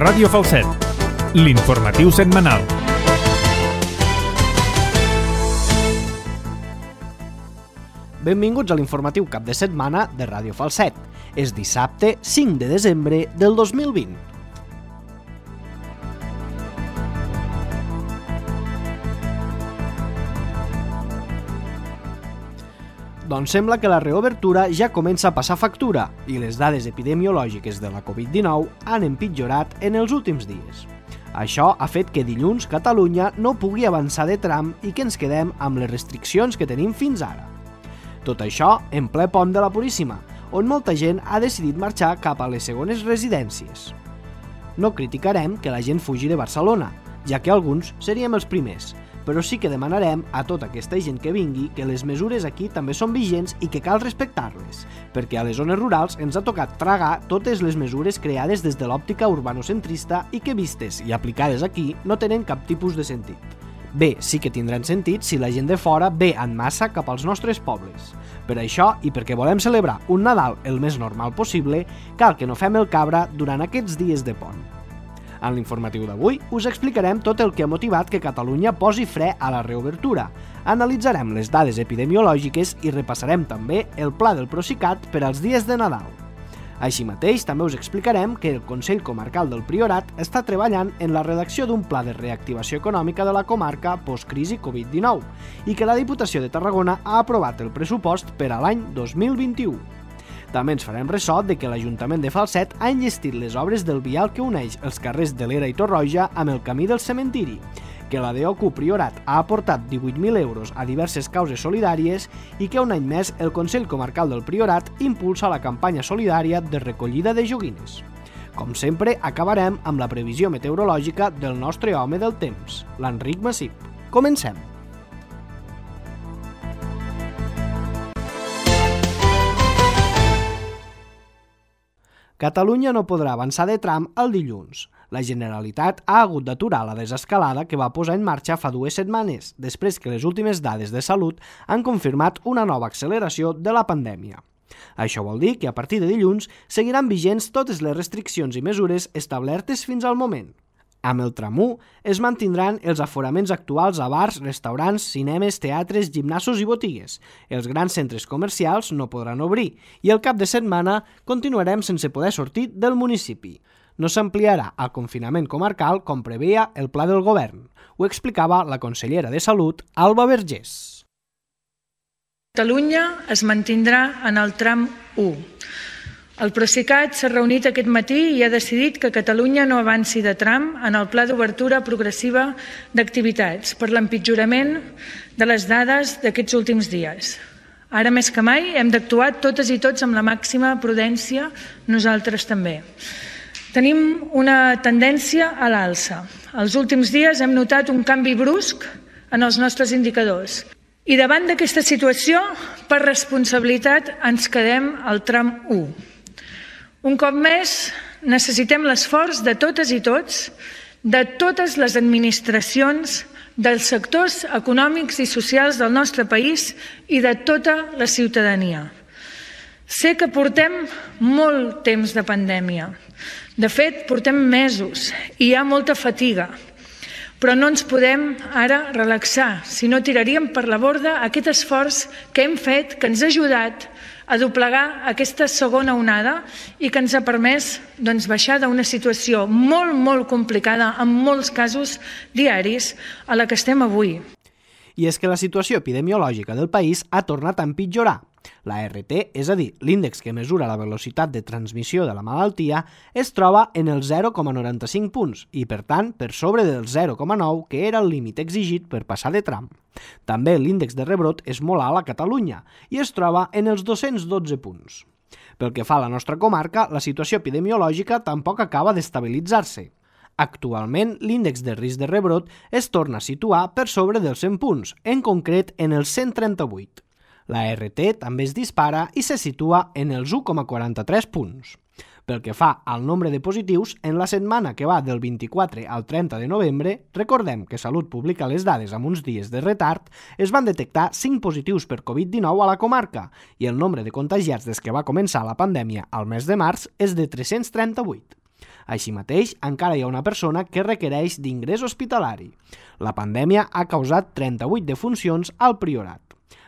Ràdio Falset, l'informatiu setmanal. Benvinguts a l'informatiu cap de setmana de Ràdio Falset. És dissabte 5 de desembre del 2020. Doncs sembla que la reobertura ja comença a passar factura i les dades epidemiològiques de la Covid-19 han empitjorat en els últims dies. Això ha fet que dilluns Catalunya no pugui avançar de tram i que ens quedem amb les restriccions que tenim fins ara. Tot això en ple pont de la Puríssima, on molta gent ha decidit marxar cap a les segones residències. No criticarem que la gent fugi de Barcelona, ja que alguns seríem els primers, però sí que demanarem a tota aquesta gent que vingui que les mesures aquí també són vigents i que cal respectar-les, perquè a les zones rurals ens ha tocat tragar totes les mesures creades des de l'òptica urbanocentrista i que vistes i aplicades aquí no tenen cap tipus de sentit. Bé, sí que tindran sentit si la gent de fora ve en massa cap als nostres pobles. Per això, i perquè volem celebrar un Nadal el més normal possible, cal que no fem el cabra durant aquests dies de pont. En l'informatiu d'avui us explicarem tot el que ha motivat que Catalunya posi fre a la reobertura, analitzarem les dades epidemiològiques i repassarem també el pla del Procicat per als dies de Nadal. Així mateix, també us explicarem que el Consell Comarcal del Priorat està treballant en la redacció d'un pla de reactivació econòmica de la comarca post-crisi Covid-19 i que la Diputació de Tarragona ha aprovat el pressupost per a l'any 2021. També ens farem ressò de que l'Ajuntament de Falset ha enllestit les obres del vial que uneix els carrers de l'Era i Torroja amb el camí del cementiri, que la DOQ Priorat ha aportat 18.000 euros a diverses causes solidàries i que un any més el Consell Comarcal del Priorat impulsa la campanya solidària de recollida de joguines. Com sempre, acabarem amb la previsió meteorològica del nostre home del temps, l'Enric Massip. Comencem! Catalunya no podrà avançar de tram el dilluns. La Generalitat ha hagut d'aturar la desescalada que va posar en marxa fa 2 setmanes, després que les últimes dades de salut han confirmat una nova acceleració de la pandèmia. Això vol dir que a partir de dilluns seguiran vigents totes les restriccions i mesures establertes fins al moment. Amb el tram 1 es mantindran els aforaments actuals a bars, restaurants, cinemes, teatres, gimnasos i botigues. Els grans centres comercials no podran obrir i el cap de setmana continuarem sense poder sortir del municipi. No s'ampliarà el confinament comarcal com preveia el pla del govern. Ho explicava la consellera de Salut, Alba Vergés. Catalunya es mantindrà en el tram 1. El Procicat s'ha reunit aquest matí i ha decidit que Catalunya no avanci de tram en el pla d'obertura progressiva d'activitats per l'empitjorament de les dades d'aquests últims dies. Ara més que mai hem d'actuar totes i tots amb la màxima prudència, nosaltres també. Tenim una tendència a l'alça. Els últims dies hem notat un canvi brusc en els nostres indicadors. I davant d'aquesta situació, per responsabilitat, ens quedem al tram 1. Un cop més, necessitem l'esforç de totes i tots, de totes les administracions, dels sectors econòmics i socials del nostre país i de tota la ciutadania. Sé que portem molt temps de pandèmia. De fet, portem mesos i hi ha molta fatiga. Però no ens podem ara relaxar, si no tiraríem per la borda aquest esforç que hem fet, que ens ha ajudat a doblegar aquesta segona onada i que ens ha permès baixar d'una situació molt, molt complicada, en molts casos diaris, a la que estem avui. I és que la situació epidemiològica del país ha tornat a empitjorar. La RT, és a dir, l'índex que mesura la velocitat de transmissió de la malaltia, es troba en el 0,95 punts i, per tant, per sobre del 0,9, que era el límit exigit per passar de tram. També l'índex de rebrot és molt alt a Catalunya i es troba en els 212 punts. Pel que fa a la nostra comarca, la situació epidemiològica tampoc acaba d'estabilitzar-se. Actualment, l'índex de risc de rebrot es torna a situar per sobre dels 100 punts, en concret en els 138. La RT també es dispara i se situa en els 1,43 punts. Pel que fa al nombre de positius, en la setmana que va del 24 al 30 de novembre, recordem que Salut publica les dades amb uns dies de retard, es van detectar 5 positius per Covid-19 a la comarca i el nombre de contagiats des que va començar la pandèmia al mes de març és de 338. Així mateix, encara hi ha una persona que requereix d'ingrés hospitalari. La pandèmia ha causat 38 defuncions al Priorat.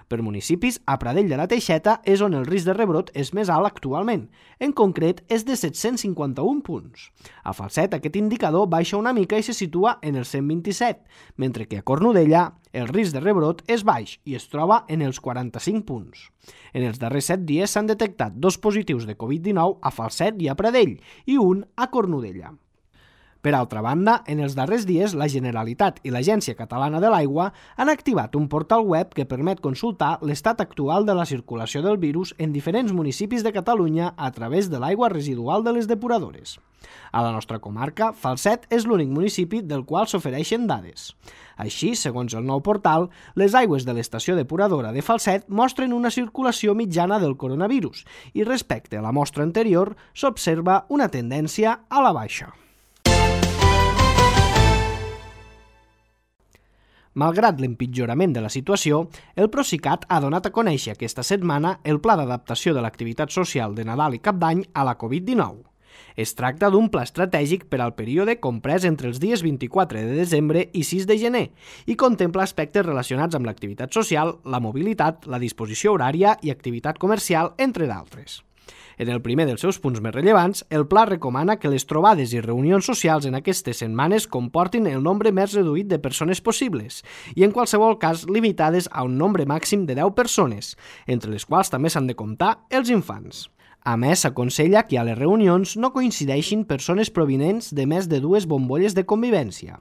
Per municipis, a Pradell de la Teixeta és on el risc de rebrot és més alt actualment. En concret, és de 751 punts. A Falset, aquest indicador baixa una mica i se situa en els 127, mentre que a Cornudella el risc de rebrot és baix i es troba en els 45 punts. En els darrers 7 dies s'han detectat 2 positius de Covid-19 a Falset i a Pradell i un a Cornudella. Per altra banda, en els darrers dies, la Generalitat i l'Agència Catalana de l'Aigua han activat un portal web que permet consultar l'estat actual de la circulació del virus en diferents municipis de Catalunya a través de l'aigua residual de les depuradores. A la nostra comarca, Falset és l'únic municipi del qual s'ofereixen dades. Així, segons el nou portal, les aigües de l'estació depuradora de Falset mostren una circulació mitjana del coronavirus i respecte a la mostra anterior s'observa una tendència a la baixa. Malgrat l'empitjorament de la situació, el Procicat ha donat a conèixer aquesta setmana el pla d'adaptació de l'activitat social de Nadal i Cap d'Any a la Covid-19. Es tracta d'un pla estratègic per al període comprès entre els dies 24 de desembre i 6 de gener i contempla aspectes relacionats amb l'activitat social, la mobilitat, la disposició horària i activitat comercial, entre d'altres. En el primer dels seus punts més rellevants, el pla recomana que les trobades i reunions socials en aquestes setmanes comportin el nombre més reduït de persones possibles i, en qualsevol cas, limitades a un nombre màxim de 10 persones, entre les quals també s'han de comptar els infants. A més, s'aconsella que a les reunions no coincideixin persones provinents de més de 2 bombolles de convivència.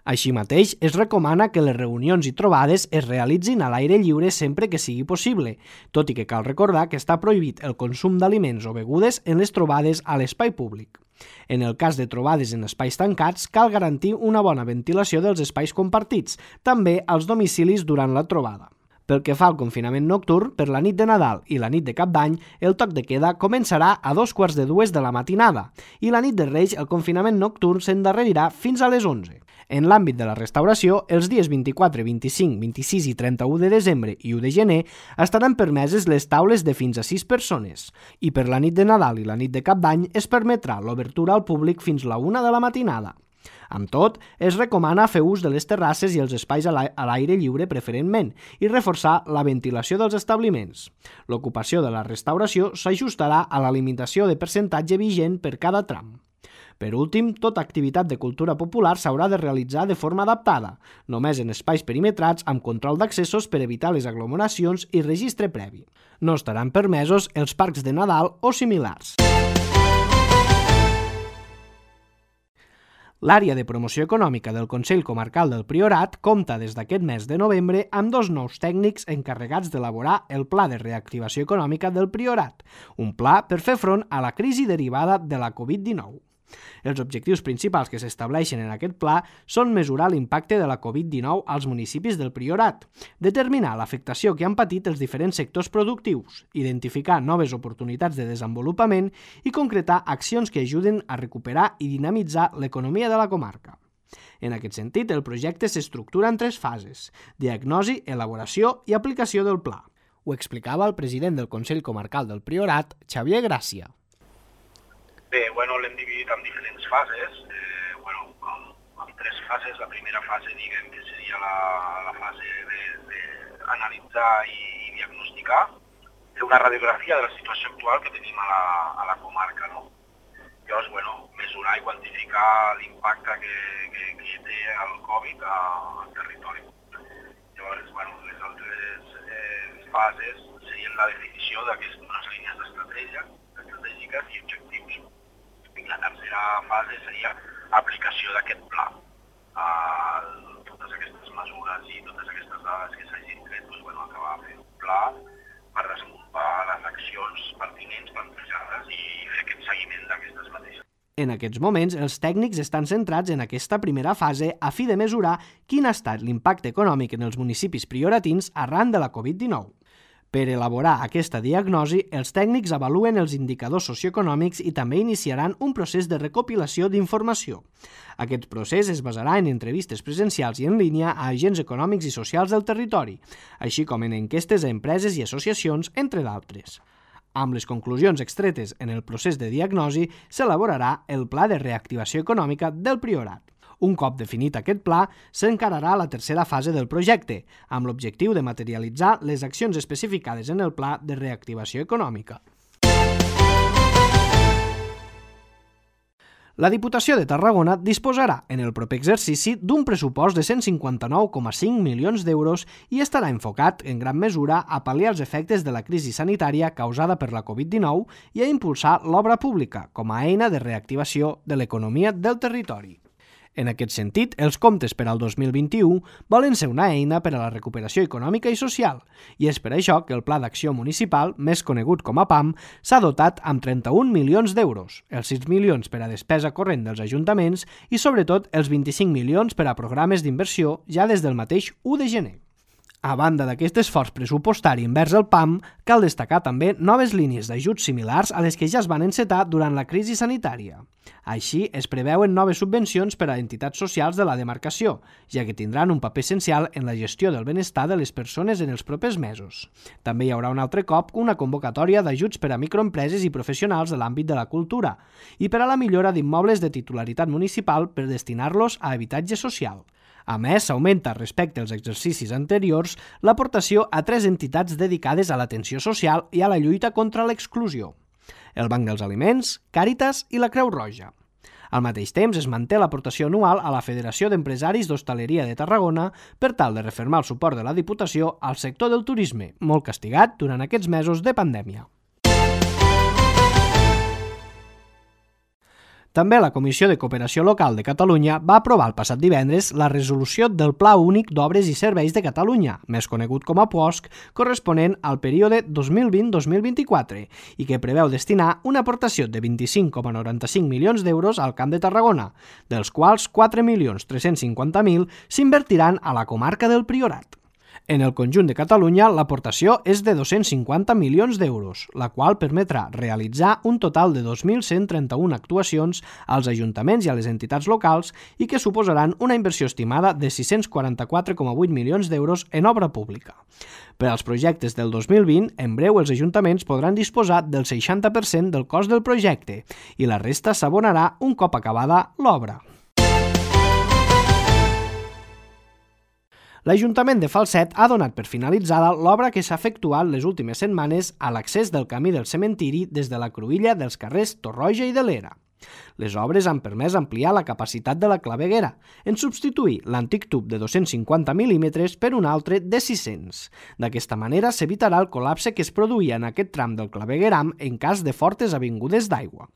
Així mateix, es recomana que les reunions i trobades es realitzin a l'aire lliure sempre que sigui possible, tot i que cal recordar que està prohibit el consum d'aliments o begudes en les trobades a l'espai públic. En el cas de trobades en espais tancats, cal garantir una bona ventilació dels espais compartits, també als domicilis durant la trobada. Pel que fa al confinament nocturn, per la nit de Nadal i la nit de Cap d'Any, el toc de queda començarà a 2:45 de la matinada i la nit de Reis el confinament nocturn s'endarrerirà fins a les 11. En l'àmbit de la restauració, els dies 24, 25, 26 i 31 de desembre i 1 de gener estaran permeses les taules de fins a 6 persones i per la nit de Nadal i la nit de Cap d'Any es permetrà l'obertura al públic fins la 1 de la matinada. Amb tot, es recomana fer ús de les terrasses i els espais a l'aire lliure preferentment i reforçar la ventilació dels establiments. L'ocupació de la restauració s'ajustarà a la limitació de percentatge vigent per cada tram. Per últim, tota activitat de cultura popular s'haurà de realitzar de forma adaptada, només en espais perimetrats amb control d'accessos per evitar les aglomeracions i registre previ. No estaran permesos els parcs de Nadal o similars. L'àrea de promoció econòmica del Consell Comarcal del Priorat compta des d'aquest mes de novembre amb 2 nous tècnics encarregats d'elaborar el Pla de Reactivació Econòmica del Priorat, un pla per fer front a la crisi derivada de la Covid-19. Els objectius principals que s'estableixen en aquest pla són mesurar l'impacte de la Covid-19 als municipis del Priorat, determinar l'afectació que han patit els diferents sectors productius, identificar noves oportunitats de desenvolupament i concretar accions que ajuden a recuperar i dinamitzar l'economia de la comarca. En aquest sentit, el projecte s'estructura en 3 fases: diagnosi, elaboració i aplicació del pla. Ho explicava el president del Consell Comarcal del Priorat, Xavier Gràcia. Bé, l'hem dividit en diferents fases, en 3 fases. La primera fase, diguem, que seria la fase d'analitzar i diagnosticar, fer una radiografia de la situació actual que tenim a la comarca, no? Llavors, mesurar i quantificar l'impacte que té el Covid al territori. Llavors, les altres fases serien la definició d'unes línies estratègiques i objectius. La tercera fase seria aplicació d'aquest pla. Totes aquestes mesures i totes aquestes dades que s'hagin tret, acabar de fer un pla per desenvolupar les accions pertinents, plantejades i fer aquest seguiment d'aquestes mateixes. En aquests moments, els tècnics estan centrats en aquesta primera fase a fi de mesurar quin ha estat l'impacte econòmic en els municipis prioratins arran de la Covid-19. Per elaborar aquesta diagnosi, els tècnics avaluen els indicadors socioeconòmics i també iniciaran un procés de recopilació d'informació. Aquest procés es basarà en entrevistes presencials i en línia a agents econòmics i socials del territori, així com en enquestes a empreses i associacions, entre d'altres. Amb les conclusions extretes en el procés de diagnosi, s'elaborarà el Pla de Reactivació Econòmica del Priorat. Un cop definit aquest pla, s'encararà la tercera fase del projecte, amb l'objectiu de materialitzar les accions especificades en el Pla de Reactivació Econòmica. La Diputació de Tarragona disposarà en el proper exercici d'un pressupost de 159,5 milions d'euros i estarà enfocat en gran mesura a pal·liar els efectes de la crisi sanitària causada per la Covid-19 i a impulsar l'obra pública com a eina de reactivació de l'economia del territori. En aquest sentit, els comptes per al 2021 volen ser una eina per a la recuperació econòmica i social, i és per això que el Pla d'Acció Municipal, més conegut com a PAM, s'ha dotat amb 31 milions d'euros, els 6 milions per a despesa corrent dels ajuntaments i, sobretot, els 25 milions per a programes d'inversió ja des del mateix 1 de gener. A banda d'aquest esforç pressupostari envers el PAM, cal destacar també noves línies d'ajuts similars a les que ja es van encetar durant la crisi sanitària. Així, es preveuen noves subvencions per a entitats socials de la demarcació, ja que tindran un paper essencial en la gestió del benestar de les persones en els propers mesos. També hi haurà un altre cop una convocatòria d'ajuts per a microempreses i professionals de l'àmbit de la cultura i per a la millora d'immobles de titularitat municipal per destinar-los a habitatge social. A més, s'augmenta respecte als exercicis anteriors l'aportació a 3 entitats dedicades a l'atenció social i a la lluita contra l'exclusió: el Banc dels Aliments, Càritas i la Creu Roja. Al mateix temps, es manté l'aportació anual a la Federació d'Empresaris d'Hostaleria de Tarragona per tal de refermar el suport de la Diputació al sector del turisme, molt castigat durant aquests mesos de pandèmia. També la Comissió de Cooperació Local de Catalunya va aprovar el passat divendres la resolució del Pla Únic d'Obres i Serveis de Catalunya, més conegut com a PUOSC, corresponent al període 2020-2024 i que preveu destinar una aportació de 25,95 milions d'euros al Camp de Tarragona, dels quals 4.350.000 s'invertiran a la comarca del Priorat. En el conjunt de Catalunya, l'aportació és de 250 milions d'euros, la qual permetrà realitzar un total de 2.131 actuacions als ajuntaments i a les entitats locals i que suposaran una inversió estimada de 644,8 milions d'euros en obra pública. Per als projectes del 2020, en breu els ajuntaments podran disposar del 60% del cost del projecte i la resta s'abonarà un cop acabada l'obra. L'Ajuntament de Falset ha donat per finalitzada l'obra que s'ha efectuat les últimes setmanes a l'accés del camí del cementiri des de la cruïlla dels carrers Torroja i de l'Era. Les obres han permès ampliar la capacitat de la claveguera, en substituir l'antic tub de 250 mil·límetres per un altre de 600. D'aquesta manera s'evitarà el col·lapse que es produïa en aquest tram del clavegueram en cas de fortes avingudes d'aigua.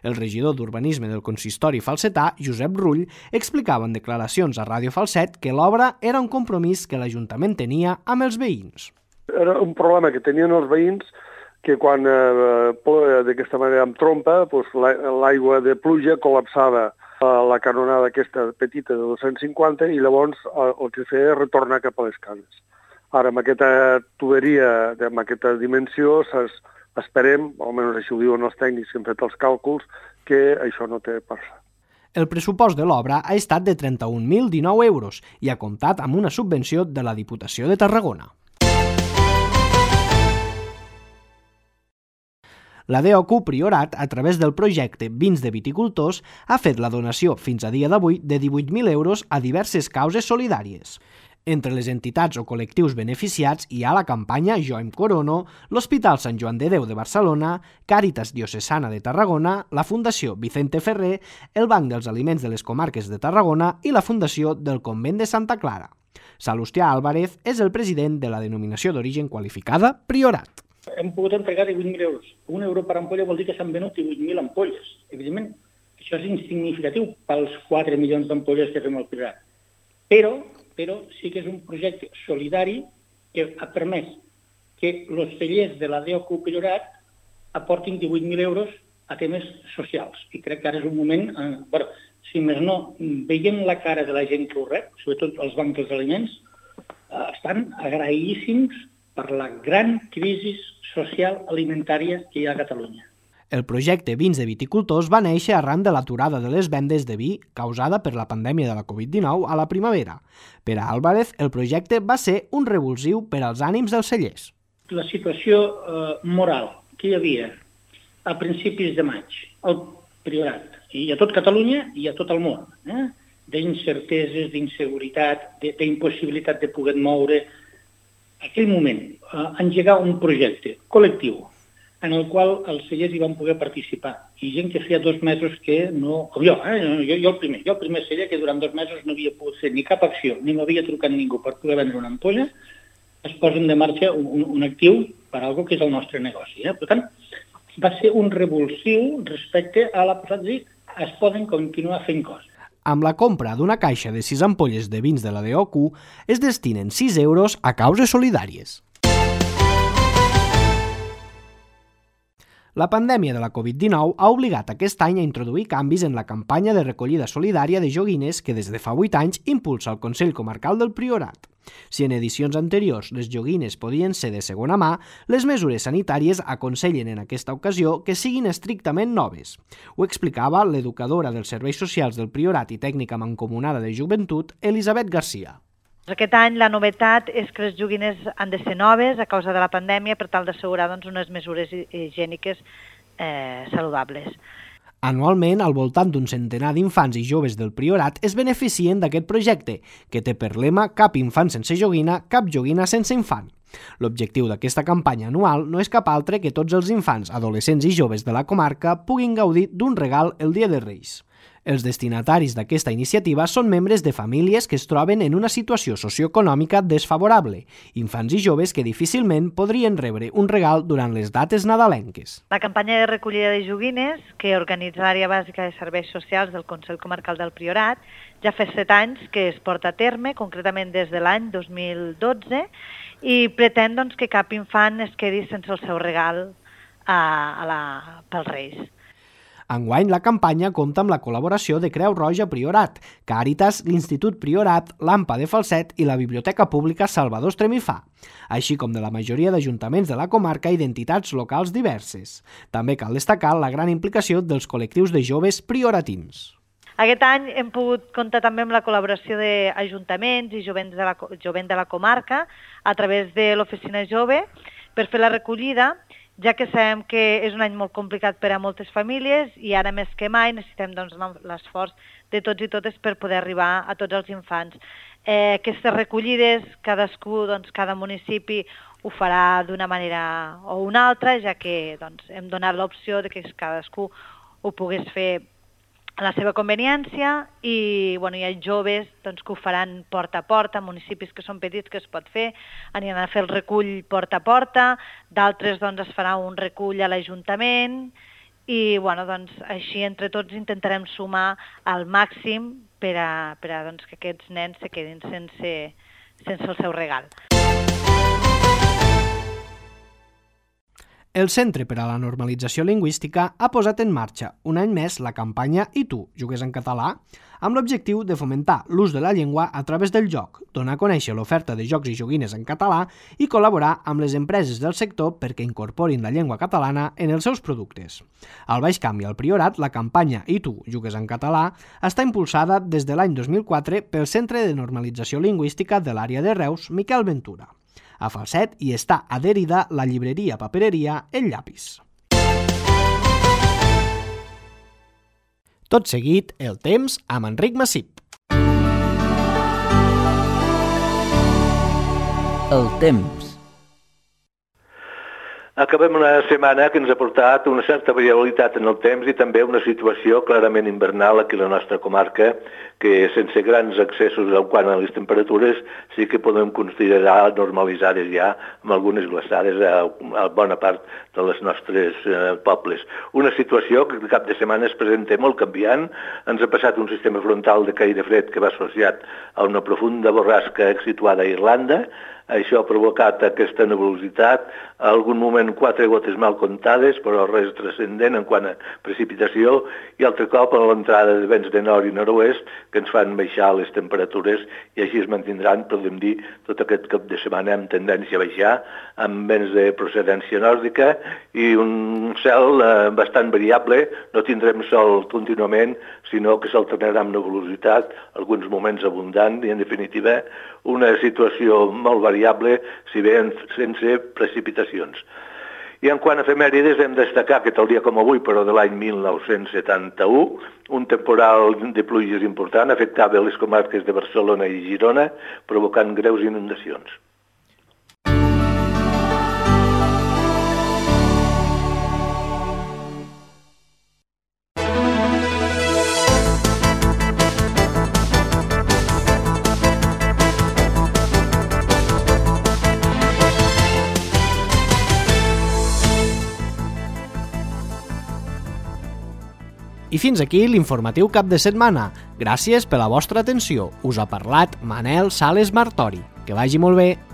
El regidor d'Urbanisme del consistori falsetà, Josep Rull, explicava en declaracions a Ràdio Falset que l'obra era un compromís que l'Ajuntament tenia amb els veïns. Era un problema que tenien els veïns que quan d'aquesta manera amb trompa, l'aigua de pluja col·lapsava la canonada aquesta petita de 250 i llavors el que feia és retornar cap a les cases. Ara, amb aquesta tuberia, amb aquesta dimensió, esperem, almenys així ho diuen els tècnics que han fet els càlculs, que això no té passa. El pressupost de l'obra ha estat de 31.019 euros i ha comptat amb una subvenció de la Diputació de Tarragona. La DOQ Priorat, a través del projecte Vins de Viticultors, ha fet la donació fins a dia d'avui de 18.000 euros a diverses causes solidàries. Entre les entitats o col·lectius beneficiats hi ha la campanya Jo em corono, l'Hospital Sant Joan de Déu de Barcelona, Càritas Diocesana de Tarragona, la Fundació Vicente Ferrer, el Banc dels Aliments de les Comarques de Tarragona i la Fundació del Convent de Santa Clara. Salustià Álvarez és el president de la denominació d'origen qualificada Priorat. Hem pogut entregar 18.000 euros. Un euro per ampolla vol dir que s'han venut 18.000 ampolles. Evidentment, això és insignificatiu pels 4 milions d'ampolles que fem al Priorat. Però sí que és un projecte solidari que ha permès que els cellers de la DOQ Priorat aportin 18.000 euros a temes socials. I crec que ara és un moment, si més no, veient la cara de la gent que ho rep, sobretot els bancs dels aliments, estan agraïdíssims per la gran crisi social alimentària que hi ha a Catalunya. El projecte Vins de Viticultors va néixer arran de l'aturada de les vendes de vi causada per la pandèmia de la Covid-19 a la primavera. Per a Álvarez, el projecte va ser un revulsiu per als ànims dels cellers. La situació moral que hi havia a principis de maig al Priorat, i a tot Catalunya i a tot el món, d'incerteses, d'inseguretat, d'impossibilitat de poder moure, aquell moment, engegar un projecte col·lectiu en el qual els cellers hi van poder participar. I gent que feia 2 mesos que no... Com jo, jo el primer celler que durant 2 mesos no havia pogut fer ni cap acció, ni m'havia trucat ningú per poder vendre una ampolla, es posen de marxa un actiu per algo que és el nostre negoci. Per tant, va ser un revulsiu respecte a la posada de dir es poden continuar fent coses. Amb la compra d'una caixa de 6 ampolles de vins de la DOQ es destinen 6 euros a causes solidàries. La pandèmia de la Covid-19 ha obligat aquest any a introduir canvis en la campanya de recollida solidària de joguines que des de fa 8 anys impulsa el Consell Comarcal del Priorat. Si en edicions anteriors les joguines podien ser de segona mà, les mesures sanitàries aconsellen en aquesta ocasió que siguin estrictament noves. Ho explicava l'educadora dels serveis socials del Priorat i tècnica mancomunada de joventut, Elisabet Garcia. Aquest any la novetat és que les joguines han de ser noves a causa de la pandèmia per tal d'assegurar unes mesures higièniques saludables. Anualment, al voltant d'un centenar d'infants i joves del Priorat es beneficien d'aquest projecte, que té per lema cap infant sense joguina, cap joguina sense infant. L'objectiu d'aquesta campanya anual no és cap altre que tots els infants, adolescents i joves de la comarca puguin gaudir d'un regal el Dia de Reis. Els destinataris d'aquesta iniciativa són membres de famílies que es troben en una situació socioeconòmica desfavorable, infants i joves que difícilment podrien rebre un regal durant les dates nadalenques. La campanya de recollida de joguines, que organitza l'àrea bàsica de serveis socials del Consell Comarcal del Priorat, ja fa 7 anys que es porta a terme, concretament des de l'any 2012, i pretén que cap infant es quedi sense el seu regal pels Reis. Enguany, la campanya compta amb la col·laboració de Creu Roja Priorat, Càritas, l'Institut Priorat, l'AMPA de Falset i la Biblioteca Pública Salvador Estremifà, així com de la majoria d'ajuntaments de la comarca i d'entitats locals diverses. També cal destacar la gran implicació dels col·lectius de joves prioratins. Aquest any hem pogut comptar també amb la col·laboració d'ajuntaments i jovent de la comarca a través de l'Oficina Jove per fer la recollida, ja que sabem que és un any molt complicat per a moltes famílies i ara més que mai necessitem l'esforç de tots i totes per poder arribar a tots els infants. Aquestes recollides, cadascú, cada municipi ho farà d'una manera o una altra, ja que hem donat l'opció de que cadascú ho pogués fer a la seva conveniència i hi ha joves que ho faran porta a porta, municipis que són petits que es pot fer, aniran a fer el recull porta a porta, d'altres es farà un recull a l'Ajuntament i així entre tots intentarem sumar al màxim per a que aquests nens se quedin sense el seu regal. El Centre per a la Normalització Lingüística ha posat en marxa un any més la campanya I tu, jugues en català, amb l'objectiu de fomentar l'ús de la llengua a través del joc, donar a conèixer l'oferta de jocs i joguines en català i col·laborar amb les empreses del sector perquè incorporin la llengua catalana en els seus productes. Al Baix Camp i al Priorat, la campanya I tu, jugues en català, està impulsada des de l'any 2004 pel Centre de Normalització Lingüística de l'àrea de Reus, Miquel Ventura. A Falset hi està adherida la llibreria papereria El Llapis. Tot seguit, el temps amb Enric Massip. El temps. Acabem una setmana que ens ha portat una certa variabilitat en el temps i també una situació clarament invernal aquí a la nostra comarca, que sense grans excessos en quant a les temperatures sí que podem considerar normalitzades ja amb algunes glaçades a bona part de les nostres pobles. Una situació que el cap de setmana es presenta molt canviant. Ens ha passat un sistema frontal de caire fred que va associat a una profunda borrasca situada a Irlanda. Això ha provocat aquesta nebulositat, a algun moment 4 gotes mal comptades, però res transcendent en quant a precipitació, i altre cop a l'entrada de vents de nord i nord-oest que ens fan baixar les temperatures i així es mantindran, podem dir, tot aquest cap de setmana amb tendència a baixar, amb vents de procedència nòrdica i un cel bastant variable. No tindrem sol contínuament, sinó que s'alternarà amb nebulositat, alguns moments abundant i, en definitiva, una situació molt variable, si bé sense precipitacions. I en quant a efemèrides hem de destacar que tal dia com avui, però de l'any 1971, un temporal de pluges important afectava les comarques de Barcelona i Girona, provocant greus inundacions. I fins aquí l'informatiu cap de setmana. Gràcies per la vostra atenció. Us ha parlat Manel Sales Martori. Que vagi molt bé.